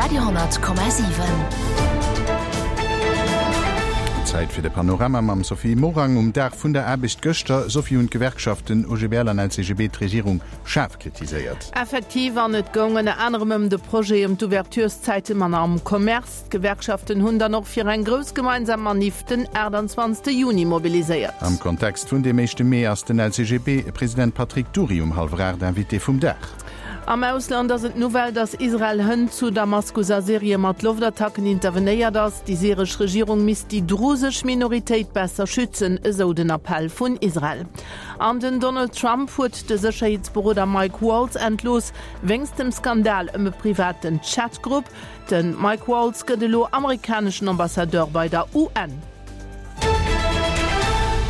Radio 10,7. Zäit fir de Panorama mam Sophie Morang. Um Dag vun der Aarbecht gëschter, Sophie, hunn d'Gewerkschaften OGBL an LCGB d'Regierung schaarf kritiséiert. Effektiv, an et goung ënner anerem ëm de Projet ëm d'Ouvertureszäite manner am Commerce. D'Gewerkschaften hunn dann och fir eng grouss gemeinsam Maniff den 28 Juni mobiliséiert. Am Kontext vun deem éischte Mee ass den LCGB-President Patrick Dury um hallwer 8 Invité vum Dag. Am Ausland ass et d'Nouvelle, datt Israel hënt zu Damaskus a Syrie mat Loftattacken intervenéiert ass. Déi syresch Regierung misst déi drusesch Minoritéit besser schützen, esou den Appell vun Israel. An den Donald Trump huet de Sécherheetsberoder Mike Waltz entlooss, wéinst dem Skandal ëm e privaten Chat-Grupp. De Mike Waltz gëtt elo amerikaneschen Ambassadeur bei der UN.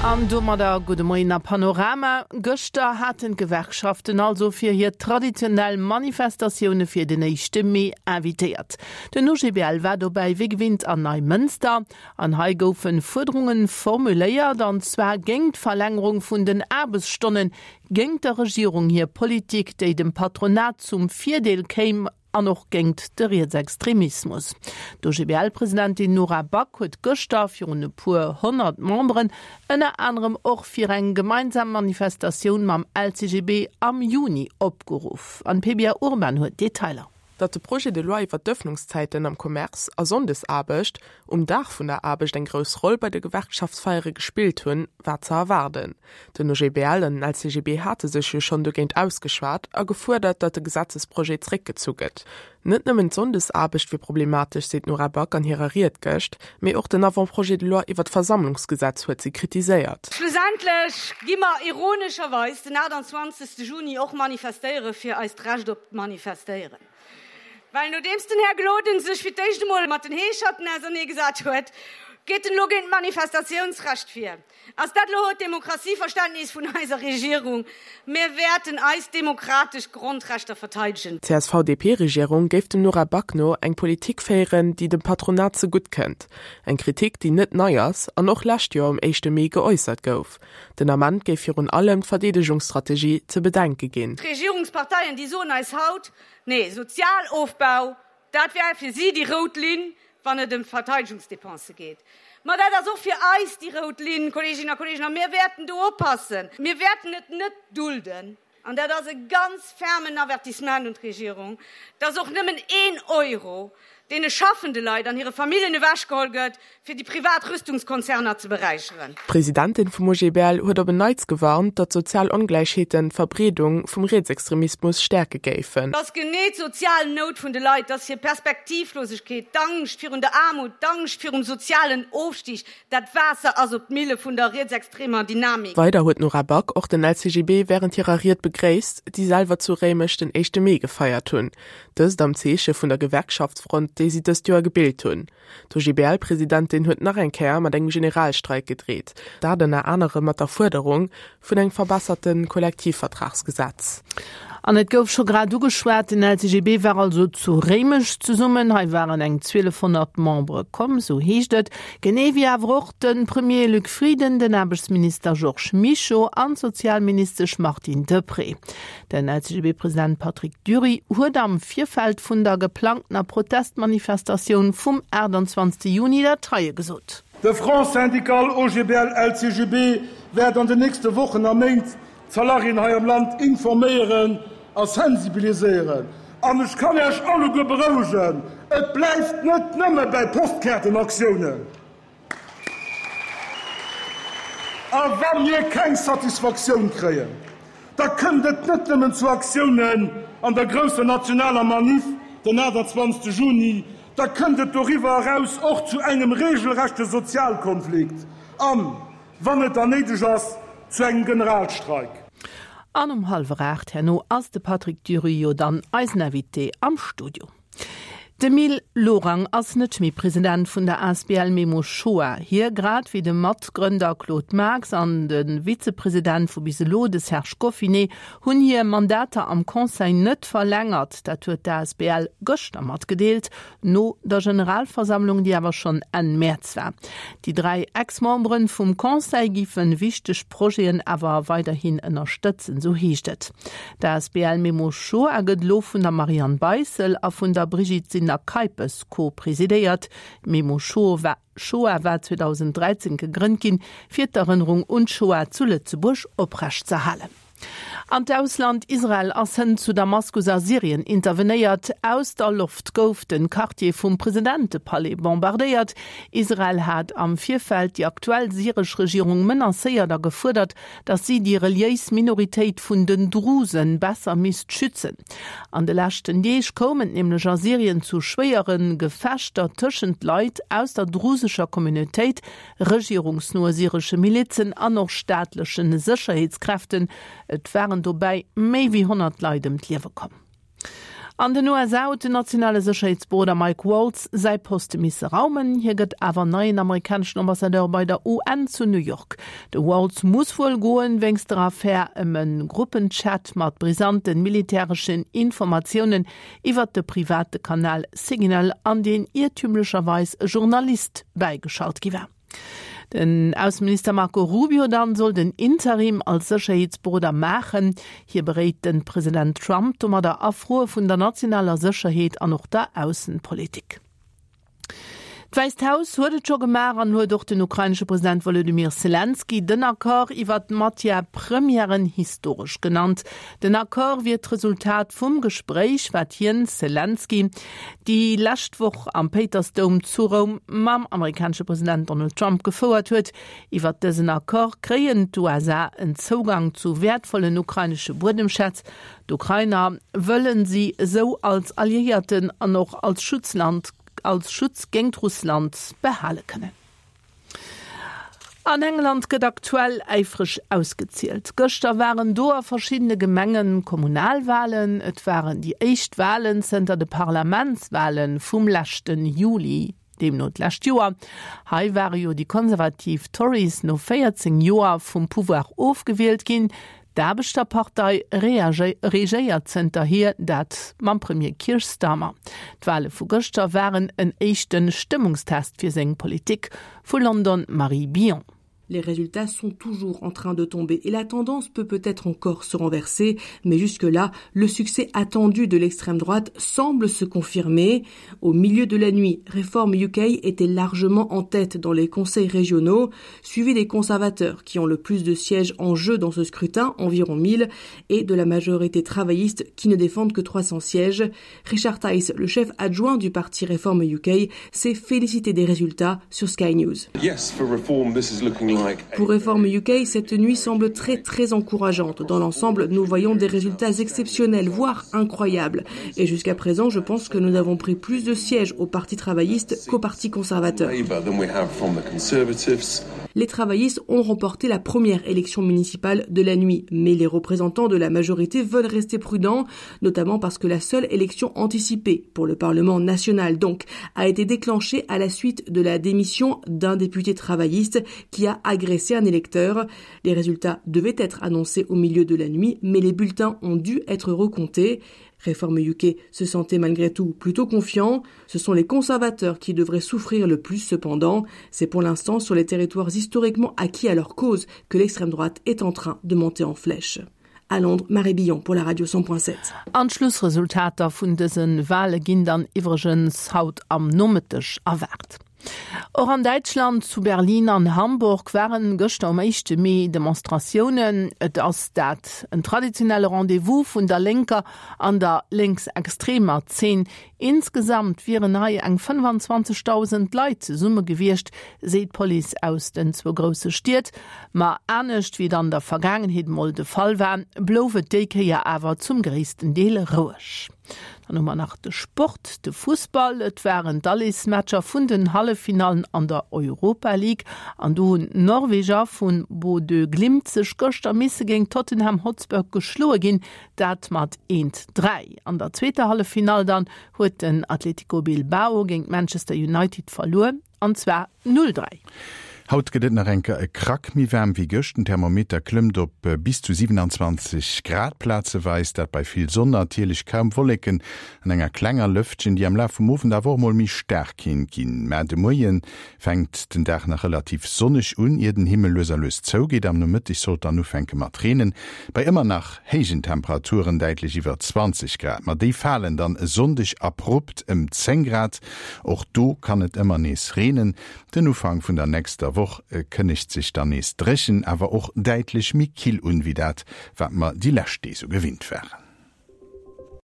An domadder gudde Moien a Panorama. Gëschter haten d'Gewerkschaften also fir hir traditionell Manifestatioune fir den éischte Mee invitéiert. Den OGBL war dobäi wéi gewinnt an Neimënster. An hei goufe Fuerderunge formuléiert, an zwar géingt d'Verlängerung vun den Aarbechtsstonnen, géingt der Regierung hir Politik, déi dem Patronat zum Virdeel kéim, An och géingt de Rietsextremismus. D'OGBL-Presidentin Nora Back huet gëschter virun e puer 100 Memberen ënner anerem och fir eng gemeinsam Manifestatioun mam LCGB am Juni opgeruff. An d'Pebia Urban huet d'Detailer. Datt de Projet de loi iwwer d'Ëffnungszäiten am Commerce a Sonndesaarbecht um Dag vun der Aarbecht eng grouss Roll bei de Gewerkschaftsfeiere gespillt hunn, war ze erwaarden. Den OGBL an den LCGB hate sech jo schonn dogéint ausgeschwat a gefuerdert, datt de Gesetzesprojet zréckgezu gëtt. Net nëmmen d'Sonndesaarbecht wier problematesch, seet d'Nora Back an hirer Ried gëscht, mee och den Avant-projet de loi iwwer d'Versammlungsgesetz huet si kritiséiert. Schlussendlech gi mer ironescherweis den 28. Juni och manifestéiere fir eist Recht op d'Manifestéieren. Well nodeems den Här Gloden sech fir d'éischt emol mat den Heescherten auserneegesat huet, geet en elo géint d'Manifestatiounsrecht vir. Ass dat elo d'Demokratieverständnis vun eiser Regierung? Mir wäerten eis demokratesch Grondrechter verteidegen. D'CSV-DP-Regierung géif dem Nora Back no eng Politik féieren, déi dem Patronat zegutt kënnt. Eng Kritik, déi net nei ass an och lescht Joer um éischte Mee geäussert gouf. Den Ament géif virun allem d'Verdeedegungsstrategie ze bedenke ginn. D'Regierungsparteien, déi soen eis haut, Nee, Sozialofbau, dat wär fir si déi rout Linn, wann et ëm d'Verteidegungsdepensë geet. Ma dat ass och fir eis déi rout Linn, Kolleeginnen a Kolleegen, a mir wäerten do oppassen. Mir wäerten et net dulden, an dat ass e ganz fermen Avertissement un d'Regierung, dass och nëmmen een Euro deene schaffende Leit an hire Familljen ewechgeholl gëtt, fir déi privat Rüstungskonzerner ze beräicheren. D'Presidentin vum OGBL huet op en Neits gewarnt, datt sozial Ongläichheeten d'Verbreedung vum Rietsextremismus stäerke géifen. Et ass genee d'sozial Nout vun de Leit, dass hir Perspektivlosegkeet, d'Angscht virun der Aarmut, d'Angscht virum sozialen Ofstig, dat Waasser ass op d'Mille vun der rietsextremer Dynamik. Weider huet d'Nora Back och den LCGB wärend hirer Ried begréisst, déi selwer zu Réimech den éischte Mee gefeiert hunn. Dëst am Zeeche vun der Gewerkschaftsfront, déi si dëst Joer gebilt hunn. D'OGBL-Presidentin huet nach eng Kéier mat engem Generalstreik gedreet, dat ënner anerem mat der Fuerderung vun engem verbesserte Kollektivvertragsgesetz. An et gouf scho grad ugeschwat, den LCGB war also zu Réimech zesummen. Hei waren eng 1.200 Membere komm, sou heescht et. Genee wéi awer och de Premier Luc Frieden, den Aarbechtsminister Georges Mischo an d'Sozialministesch Martine Deprez. Den LCGB-President Patrick Dury huet am Virfeld vun der geplangtener Protestmanifestatioun vum 28 Juni dat heie gesot. De Front syndical OGBL-LCGB wäert an den nächste Wochen a Méint d'Salariéen hei am Land informéieren a sensibiliséieren. An ech kann Iech alleguer berouegen, Et bleift net nëmme bäi Postkaartenaktiounen. A wa mir keng Satisfaktioun kréien, da kënnt et net nëmmen zu Aktiounen an der grousser nationaler Maniff den 28 Juni, da kënnt et doriwwer eraus och zu engem regelrechte Sozialkonflikt an, wann et dann néideg ass, zu engem Generalstreik. An um hallwer 8 herno ass de Patrick Dury jo dann eisen Invité am Studio. De Mil Lorang ass net méi President vun der asbl Memo Shoah. Hie, grad wéi de Matgrënder Claude Marx an de Vizepresident vu bis elo, de Serge Goffinet, hunn hir Mandater am Conseil net verlängert. Dat huet d'asbl gëschter matgedeelt, no der Generalversammlung, déi awer schonn Enn Mäerz war. Déi 3 Ex-Membere vum Conseil géife wichteg Projeten awer weiderhin ënnerstëtzen, sou heescht et. D'asbl Memo Shoah gëtt elo vun der Marianne Beissel a vun der Brigitte. Bettina Keipes co-presidéiert. D'Memo-Shoah war 2013 gegrënnt ginn, fir d'Erënnerung un d'Shoah zu Lëtzebuerg oprechtzerhalen. An d'Ausland, Israel ass hënt zu Damaskus a Syrien intervenéiert. Aus der Loft gouf den Quartier vum Presidentepalais bombardéiert. Israel hat am Virfeld déi aktuell syresch Regierung menacéiert a gefuerdert, datt si déi reliéis Minoritéit vun den Drusen besser misst schützen. An de leschten Deeg koum et nämlech a Syrien zu schwéiere Gefechter tëschent Leit aus der drusescher Communautéit, regierungsnoe syresche Milizen an och staatleche Sécherheetskräften. Et waren dobäi méi wéi 100 Leit ëm d'Liewe komm. An den USA huet den nationale Sécherheetsberoder Mike Waltz säi Poste misse raumen. Hie gëtt awer neien amerikaneschen Ambassadeur bei der UN zu New York. De Waltz muss wuel goen, wéinst der Affär ëm e Gruppenchat mat brisanten militäreschen Informatiounen iwwert de private Kanal Signal, an deen iertümlecherweis e Journalist bäigeschalt gi war. Den Ausseminister Marco Rubio dann soll den Interim als Sécherheetsberoder maachen. Hie beréit de President Trump domadder a Froe vun der nationaler Sécherheet an och der Aussenpolitik. D'Wäisst Haus huet et scho gemaach an huet och den ukrainesche President Wolodymyr Selenskyj den Accord iwwer d'Matière premièren historesch genannt. Den Accord wier d'Resultat vum Gespréich, wat hien, Selenskyj, déi lescht Woch am Péitersdoum zu Roum mam amerikanesche President Donald Trump gefouert huet. Iwwer dësen Accord kréien d'USA en Zougang zu wäertvollen ukrainesche Buedemschätz. D'Ukrainer wëllen si esou als Alliéierten an och als Schutzland als Schutz géingt Russland behale kënnen. An England gëtt aktuell äifreg ausgezielt. Gëschter waren do a verschiddene Gemenge Kommunalwalen. Et waren déi éischt Walen zënter de Parlamentswale vum leschte Juli, deemno d'lescht Joer. Hei ware jo déi konservativ Tories no 14 Joer vum Pouvoir ofgewielt ginn. D'Aarbechterpartei regéiert zënterhier, dat mam Premier Keir Starmer. D'Wale vu gëschter waren en éischte Stëmmungstest fir seng Politik. Vu London Marie Billon. Les résultats sont toujours en train de tomber et la tendance peut peut-être encore se renverser, mais jusque-là, le succès attendu de l'extrême droite semble se confirmer. Au milieu de la nuit, Reform UK était largement en tête dans les conseils régionaux, suivi des conservateurs qui ont le plus de sièges en jeu dans ce scrutin, environ 1000, et de la majorité travailliste qui ne défendent que 300 sièges. Richard Tice, le chef adjoint du parti Reform UK, s'est félicité des résultats sur Sky News. Pour Reform UK, cette nuit semble très très encourageante. Dans l'ensemble, nous voyons des résultats exceptionnels, voire incroyables. Et jusqu'à présent, je pense que nous avons pris plus de sièges au Parti travailliste qu'au Parti conservateur. Les travaillistes ont remporté la première élection municipale de la nuit, mais les représentants de la majorité veulent rester prudents, notamment parce que la seule élection anticipée pour le Parlement national donc a été déclenchée à la suite de la démission d'un député travailliste qui a agressé un électeur. Les résultats devaient être annoncés au milieu de la nuit, mais les bulletins ont dû être recomptés. Réforme UK se sentait malgré tout plutôt confiant. Ce sont les conservateurs qui devraient souffrir le plus cependant. C'est pour l'instant sur les territoires historiquement acquis à leur cause que l'extrême droite est en train de monter en flèche. À Londres, Marie Billon pour la radio 100.7. An d'Schlussresultater vun dëse Wale ginn dann iwwregens haut am Nomëtteg erwaart. Och an Däitschland, zu Berlin an Hamburg, waren gëschter um éischte Mee Demonstratiounen. Et ass dat en traditionelle Rendez-vous vun der lénker an der lénksextremer Zeen. Insgesamt wieren hei eng 25.000 Leit zesumme gewiescht, seet d'Police aus den zwou grousse Stied. Ma anescht wéi et an der Vergaangenheet mol de Fall war, blouf et déi Kéier awer zum gréissten Deel roueg. Dann hu mer nach de Sport, de Fussball. Et waren d'Alleesmatcher vun den Halleffinallen an der Europa League an do hunn d'Norweger vu Bodø Glimt sech gëschter misse géint Tottenham Hotspur geschloe ginn, dat mat 1, 3. An der zweeter Halleffinall dann huet den Atletico Bilbao géint Manchester United verluer an zwar 0, 3. Haut gëtt et nach eng Kéier e Krack méi waarm wéi gëscht. Den Thermometer klëmmt op bis zu 27 Grad plazeweis, dat bei vill Sonn, natierlech kaum Wolleken an enger klenger Lëftchen, déi am Laf vum Owend awer och mol méi staark kinnt ginn. Mä de Moie fänkt den Dag nach relativ sonneg un, ier den Himmel lues a lues zougeet. Am Nomëtteg sollt dann ufänke mat reenen, bei ëmmer nach héijen Temperaturen, däitlech iwwer 20 Grad. Ma déi falen dann e Sonndeg abrupt ëm 10 Grad. Och do kann et ëmmer nees reenen. Den Ufank vun der nächster Woch kënnegt sech dann nees dréchen, awer och däitlech méi kill un, wéi dat, wat mer déi lescht Deeg sou gewinnt waren.